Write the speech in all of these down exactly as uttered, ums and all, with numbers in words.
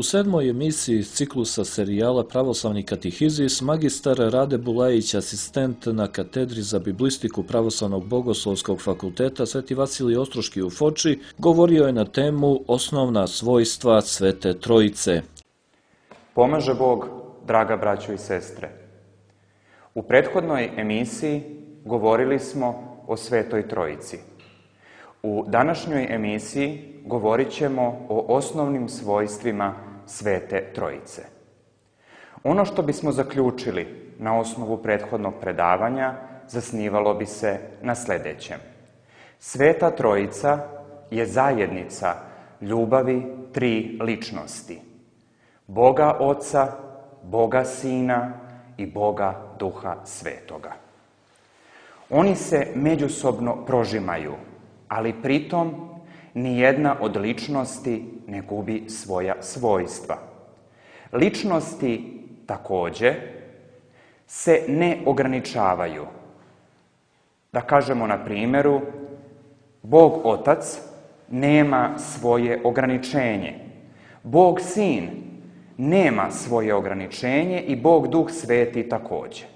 sedmoj emisiji iz ciklusa serijala Pravoslavni katehizis, magistar Rade Bulajić, asistent na katedri za biblistiku Pravoslavnog bogoslovskog fakulteta Sveti Vasilij Ostroški u Foči, govorio je na temu Osnovna svojstva Svete Trojice. Pomaže Bog, draga braćo i sestre. U prethodnoj emisiji govorili smo o Svetoj Trojici. U današnjoj emisiji govorit ćemo o osnovnim svojstvima Svete Trojice. Ono što bismo zaključili na osnovu prethodnog predavanja zasnivalo bi se na sljedećem. Sveta Trojica je zajednica ljubavi tri ličnosti. Boga Oca, Boga Sina i Boga Duha Svetoga. Oni se međusobno prožimaju, ali pritom nijedna od ličnosti ne gubi svoja svojstva. Ličnosti također se ne ograničavaju. Da kažemo na primjeru, Bog Otac nema svoje ograničenje. Bog Sin nema svoje ograničenje i Bog Duh Sveti također.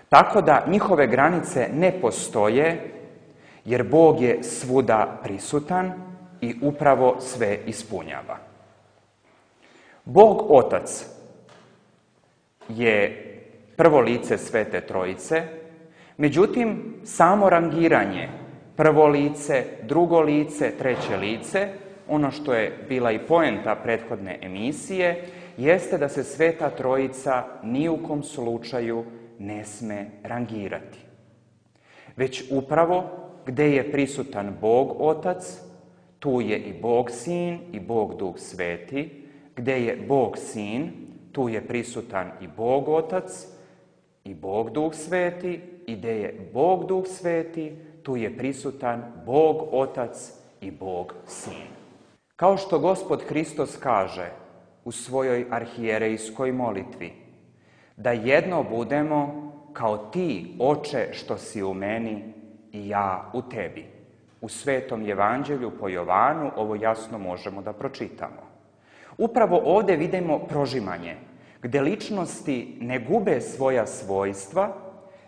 Tako da njihove granice ne postoje, jer Bog je svuda prisutan i upravo sve ispunjava. Bog Otac je prvo lice Svete Trojice, međutim, samo rangiranje prvo lice, drugo lice, treće lice, ono što je bila i poenta prethodne emisije, jeste da se Sveta Trojica ni u kom slučaju ne sme rangirati. Već upravo gdje je prisutan Bog Otac, tu je i Bog Sin i Bog Duh Sveti. Gdje je Bog Sin, tu je prisutan i Bog Otac i Bog Duh Sveti. I gdje je Bog Duh Sveti, tu je prisutan Bog Otac i Bog Sin. Kao što Gospod Hristos kaže u svojoj arhijerejskoj molitvi, da jedno budemo kao ti, Oče, što si u meni i ja u tebi. U Svetom Evanđelju po Jovanu ovo jasno možemo da pročitamo. Upravo ovdje vidimo prožimanje, gdje ličnosti ne gube svoja svojstva,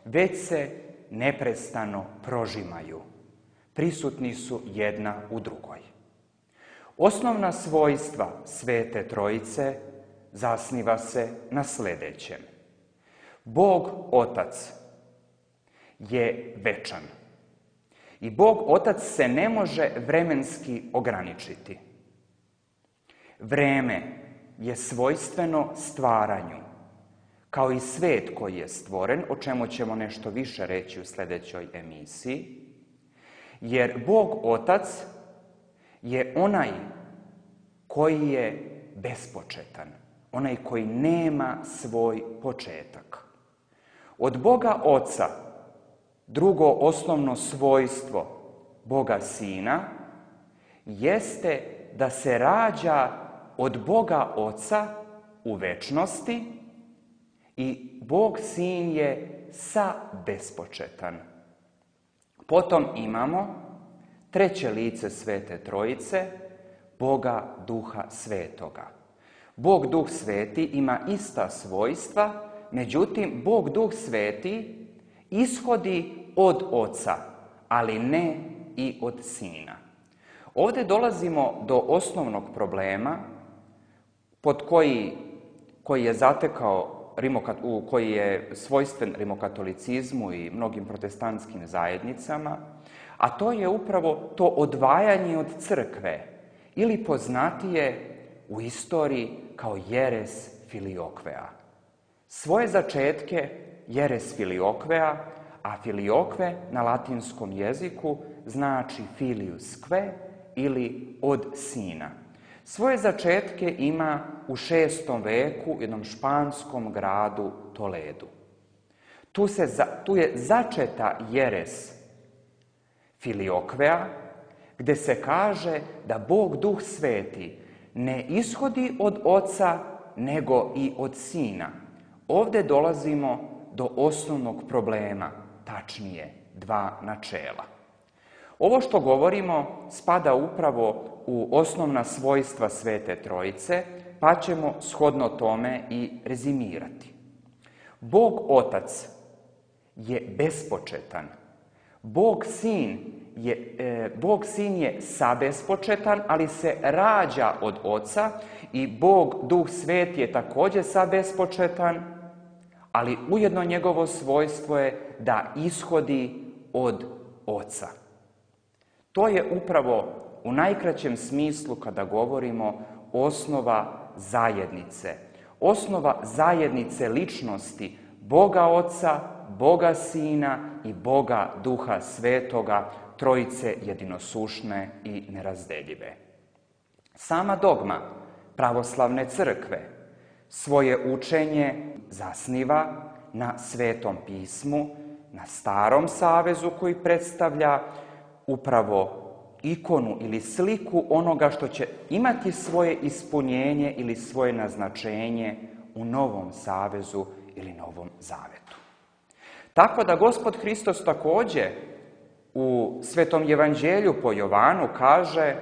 već se neprestano prožimaju. Prisutni su jedna u drugoj. Osnovna svojstva Svete Trojice zasniva se na sljedećem. Bog Otac je večan. I Bog Otac se ne može vremenski ograničiti. Vreme je svojstveno stvaranju, kao i svet koji je stvoren, o čemu ćemo nešto više reći u sljedećoj emisiji, jer Bog Otac je onaj koji je bespočetan, onaj koji nema svoj početak. Od Boga Oca drugo osnovno svojstvo Boga Sina jeste da se rađa od Boga Oca u večnosti i Bog Sin je sabespočetan. Potom imamo treće lice Svete Trojice, Boga Duha Svetoga. Bog Duh Sveti ima ista svojstva, međutim, Bog Duh Sveti ishodi od Oca, ali ne i od Sina. Ovdje dolazimo do osnovnog problema pod koji, koji je zatekao u koji je svojstven rimokatolicizmu i mnogim protestantskim zajednicama, a to je upravo to odvajanje od crkve, ili poznatije u istoriji kao jeres filiokvea. Svoje začetke jeres filiokvea, a filiokve na latinskom jeziku znači filius kve ili od sina. Svoje začetke ima u šestom veku u jednom španskom gradu Toledu. Tu, se, tu je začeta jeres filiokvea, gdje se kaže da Bog Duh Sveti ne ishodi od Oca, nego i od Sina. Ovdje dolazimo do osnovnog problema, tačnije dva načela. Ovo što govorimo spada upravo u osnovna svojstva Svete Trojice, pa ćemo shodno tome i rezimirati. Bog Otac je bespočetan. Bog Sin je, e, Bog Sin je sabespočetan, ali se rađa od Oca, i Bog Duh Sveti je također sabespočetan, ali ujedno njegovo svojstvo je da ishodi od Oca. To je upravo u najkraćem smislu kada govorimo osnova zajednice. Osnova zajednice ličnosti Boga Oca, Boga Sina i Boga Duha Svetoga, Trojice jedinosušne i nerazdeljive. Sama dogma pravoslavne crkve svoje učenje zasniva na Svetom pismu, na Starom Savezu koji predstavlja upravo ikonu ili sliku onoga što će imati svoje ispunjenje ili svoje naznačenje u Novom Savezu ili Novom Zavetu. Tako da Gospod Hristos također u Svetom Evanđelju po Jovanu kaže: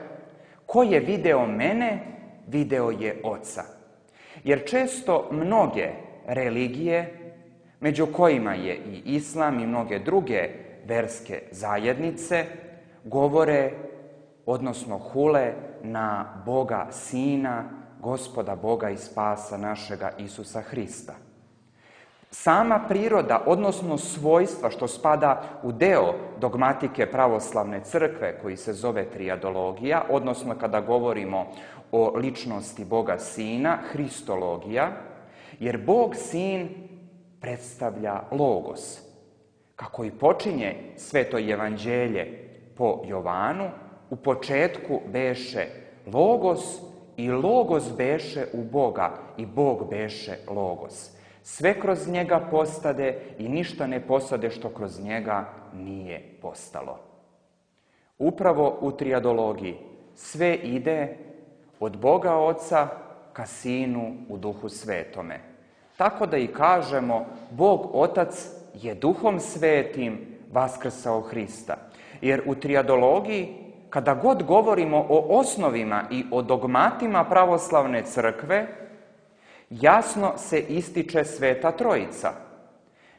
ko je video mene, video je Oca. Jer često mnoge religije, među kojima je i islam i mnoge druge verske zajednice, govore, odnosno hule na Boga Sina, Gospoda Boga i Spasa našega Isusa Hrista. Sama priroda, odnosno svojstva što spada u deo dogmatike pravoslavne crkve koji se zove trijadologija, odnosno kada govorimo o ličnosti Boga Sina, hristologija, jer Bog Sin predstavlja logos. Kako i počinje Sveto Evanđelje po Jovanu, u početku beše logos i logos beše u Boga i Bog beše logos. Sve kroz njega postade i ništa ne postade što kroz njega nije postalo. Upravo u trijadologiji sve ide od Boga Oca ka Sinu u Duhu Svetome. Tako da i kažemo, Bog Otac je Duhom Svetim vaskrsao Hrista. Jer u trijadologiji, kada god govorimo o osnovima i o dogmatima pravoslavne crkve, jasno se ističe Sveta Trojica.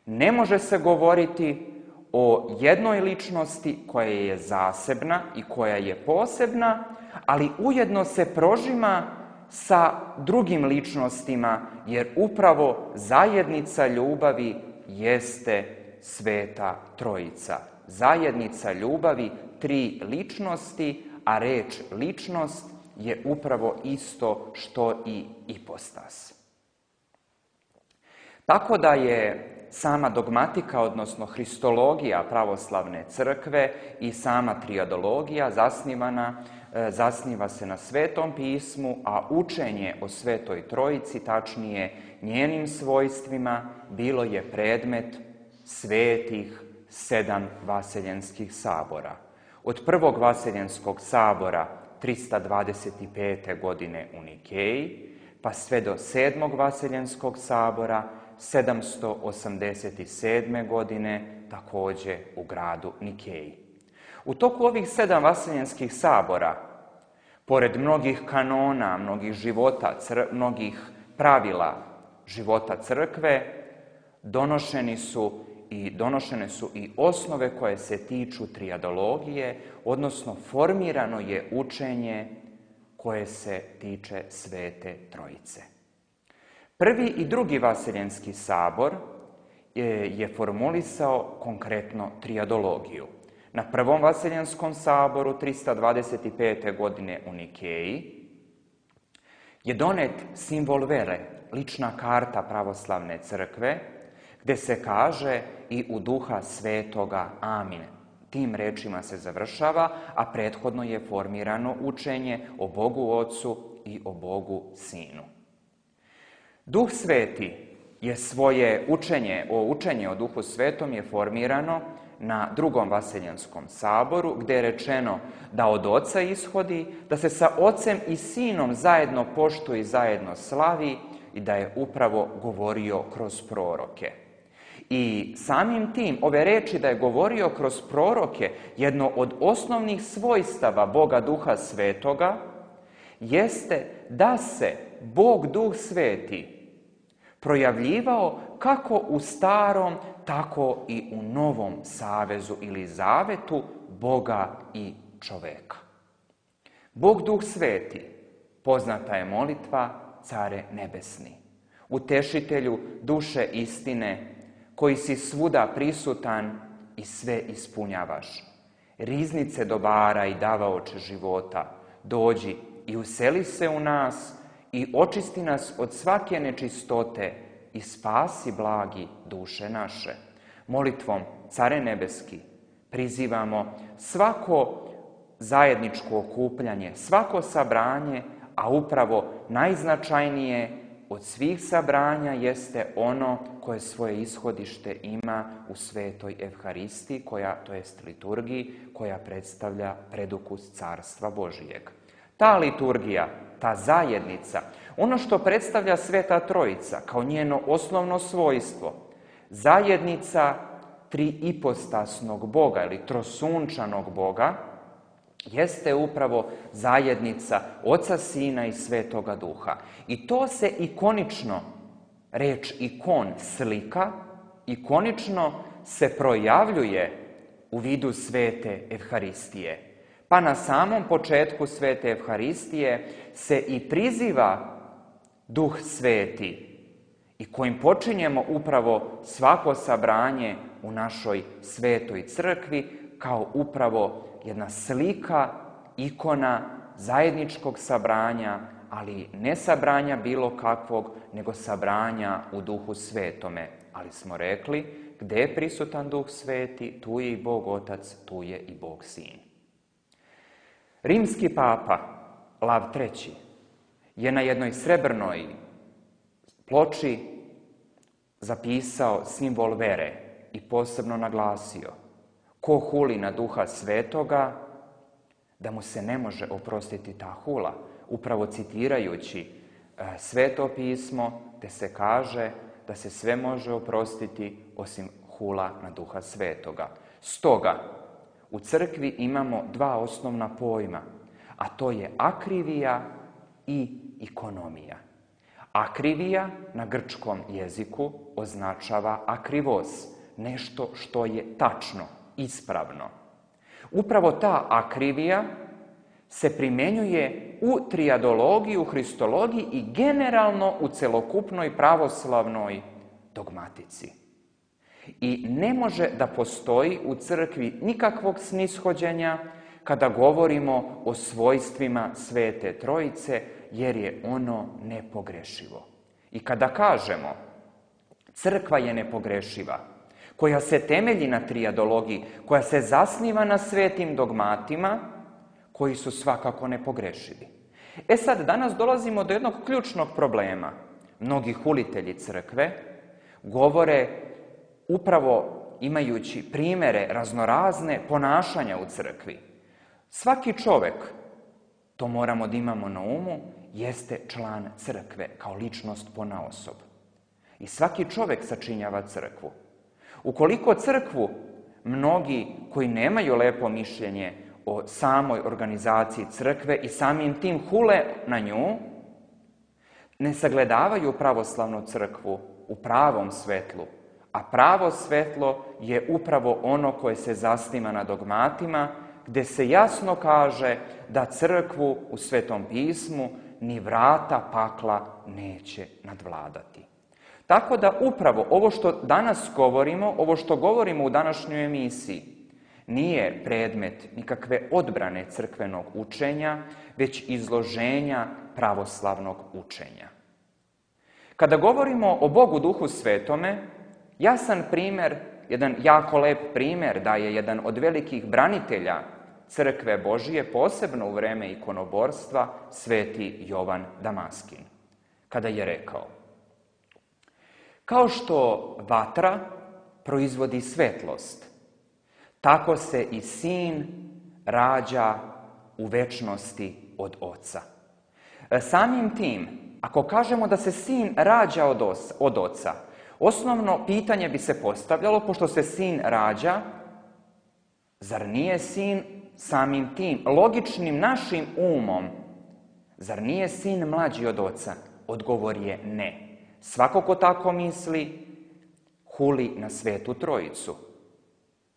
Ne može se govoriti o jednoj ličnosti koja je zasebna i koja je posebna, ali ujedno se prožima sa drugim ličnostima, jer upravo zajednica ljubavi jeste Sveta Trojica. Zajednica ljubavi, tri ličnosti, a reč ličnost je upravo isto što i ipostas. Tako da je sama dogmatika, odnosno hristologija pravoslavne crkve i sama trijadologija zasnivana, zasniva se na Svetom pismu, a učenje o Svetoj Trojici, tačnije njenim svojstvima, bilo je predmet svetih sedam vaseljenskih sabora. Od prvog vaseljenskog sabora trista dvadeset pete. godine u Nikeji, pa sve do sedmog vaseljenskog sabora sedamsto osamdeset sedme. godine također u gradu Nikeji. U toku ovih sedam vaseljenskih sabora, pored mnogih kanona, mnogih života, cr- mnogih pravila života crkve, donošeni su i donošene su i osnove koje se tiču trijadologije, odnosno formirano je učenje koje se tiče Svete Trojice. Prvi i drugi vaseljenski sabor je, je formulisao konkretno trijadologiju. Na prvom vaseljenskom saboru trista dvadeset pete. godine u Nikeji je donet simbol vere, lična karta pravoslavne crkve, gdje se kaže i u Duha Svetoga amin. Tim rečima se završava, a prethodno je formirano učenje o Bogu Ocu i o Bogu Sinu. Duh Sveti je svoje učenje, o učenje o Duhu Svetom je formirano na drugom vaseljenskom saboru, gdje je rečeno da od Oca ishodi, da se sa Ocem i Sinom zajedno poštuje i zajedno slavi i da je upravo govorio kroz proroke. I samim tim, ove reči da je govorio kroz proroke, jedno od osnovnih svojstava Boga Duha Svetoga, jeste da se Bog Duh Sveti projavljivao kako u starom, tako i u novom savezu ili zavetu Boga i čoveka. Bog Duh Sveti, poznata je molitva Care nebesni, utešitelju duše istine, koji si svuda prisutan i sve ispunjavaš. Riznice dobara i davaoče života, dođi i useli se u nas i očisti nas od svake nečistote i spasi blagi duše naše. Molitvom Care nebeski prizivamo svako zajedničko okupljanje, svako sabranje, a upravo najznačajnije od svih sabranja jeste ono koje svoje ishodište ima u svetoj Evharistiji, koja, to jest liturgiji, koja predstavlja predukus Carstva Božijeg. Ta liturgija, ta zajednica, ono što predstavlja Sveta Trojica kao njeno osnovno svojstvo, zajednica triipostasnog Boga ili trosunčanog Boga, jeste upravo zajednica Oca, Sina i Svetoga Duha. I to se ikonično, reč ikon, slika, ikonično se projavljuje u vidu Svete Evharistije. Pa na samom početku Svete Evharistije se i priziva Duh Sveti i kojim počinjemo upravo svako sabranje u našoj Svetoj Crkvi kao upravo jedna slika, ikona zajedničkog sabranja, ali ne sabranja bilo kakvog, nego sabranja u Duhu Svetome. Ali smo rekli, gde je prisutan Duh Sveti, tu je i Bog Otac, tu je i Bog Sin. Rimski papa Lav treći je na jednoj srebrnoj ploči zapisao simbol vere i posebno naglasio: ko huli na Duha Svetoga, da mu se ne može oprostiti ta hula, upravo citirajući Sveto pismo, gde se kaže da se sve može oprostiti osim hula na Duha Svetoga. Stoga, u crkvi imamo dva osnovna pojma, a to je akrivija i ikonomija. Akrivija na grčkom jeziku označava akrivos, nešto što je tačno, ispravno. Upravo ta akrivija se primenjuje u trijadologiji, u hristologiji i generalno u celokupnoj pravoslavnoj dogmatici. I ne može da postoji u crkvi nikakvog snishođenja kada govorimo o svojstvima Svete Trojice, jer je ono nepogrešivo. I kada kažemo crkva je nepogrešiva, koja se temelji na trijadologiji, koja se zasniva na svetim dogmatima, koji su svakako nepogrešivi. E sad, danas dolazimo do jednog ključnog problema. Mnogi hulitelji crkve govore upravo imajući primere raznorazne ponašanja u crkvi. Svaki čovek, to moramo da imamo na umu, jeste član crkve kao ličnost ponaosob. I svaki čovek sačinjava crkvu. Ukoliko crkvu mnogi koji nemaju lepo mišljenje o samoj organizaciji crkve i samim tim hule na nju, ne sagledavaju pravoslavnu crkvu u pravom svetlu, a pravo svetlo je upravo ono koje se zasniva na dogmatima, gde se jasno kaže da crkvu u Svetom pismu ni vrata pakla neće nadvladati. Tako da upravo ovo što danas govorimo, ovo što govorimo u današnjoj emisiji, nije predmet nikakve odbrane crkvenog učenja, već izloženja pravoslavnog učenja. Kada govorimo o Bogu Duhu Svetome, jasan primer, jedan jako lep primer daje jedan od velikih branitelja crkve Božije, posebno u vreme ikonoborstva, sveti Jovan Damaskin, kada je rekao: kao što vatra proizvodi svetlost, tako se i Sin rađa u večnosti od Oca. Samim tim, ako kažemo da se Sin rađa od Oca, Osnovno pitanje bi se postavljalo, pošto se sin rađa, zar nije sin samim tim, logičnim našim umom, zar nije sin mlađi od oca? Odgovor je ne. Svako ko tako misli, huli na Svetu Trojicu.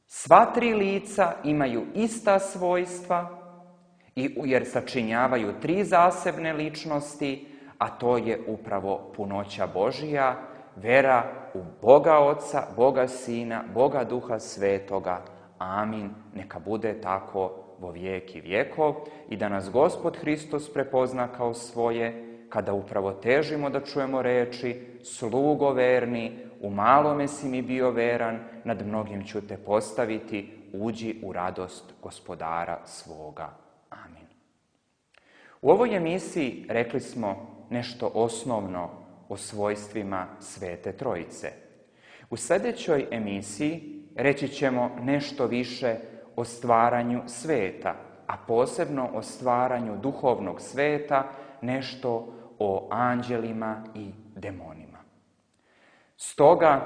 Sva tri lica imaju ista svojstva, jer sačinjavaju tri zasebne ličnosti, a to je upravo punoća Božija, vera u Boga Oca, Boga Sina, Boga Duha Svetoga. Amin. Neka bude tako vo vijek i vjekov i da nas Gospod Hristos prepozna kao svoje, kada upravo težimo da čujemo reči: slugo verni, u malome si mi bio veran, nad mnogim ću te postaviti, uđi u radost Gospodara svoga. Amin. U ovoj emisiji rekli smo nešto osnovno o svojstvima Svete Trojice. U sljedećoj emisiji reći ćemo nešto više o stvaranju sveta, a posebno o stvaranju duhovnog sveta, nešto o anđelima i demonima. Stoga,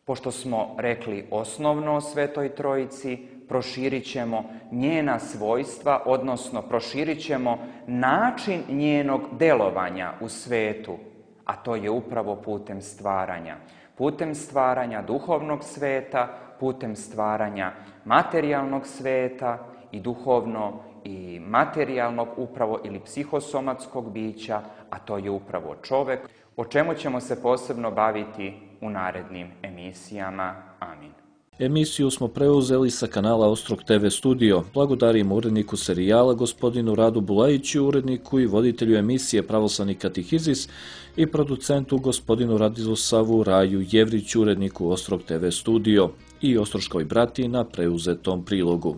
pošto smo rekli osnovno o Svetoj Trojici, proširit ćemo njena svojstva, odnosno proširit ćemo način njenog delovanja u svetu, a to je upravo putem stvaranja. Putem stvaranja duhovnog sveta, putem stvaranja materijalnog sveta i duhovno i materijalnog upravo ili psihosomatskog bića, a to je upravo čovjek, o čemu ćemo se posebno baviti u narednim emisijama. Amin. Emisiju smo preuzeli sa kanala Ostrog te ve Studio. Blagodarimo uredniku serijala gospodinu Radu Bulajiću, uredniku i voditelju emisije Pravoslavni katehizis i producentu gospodinu Radislavu Raju Jevriću, uredniku Ostrog te ve Studio i Ostroškoj bratiji na preuzetom prilogu.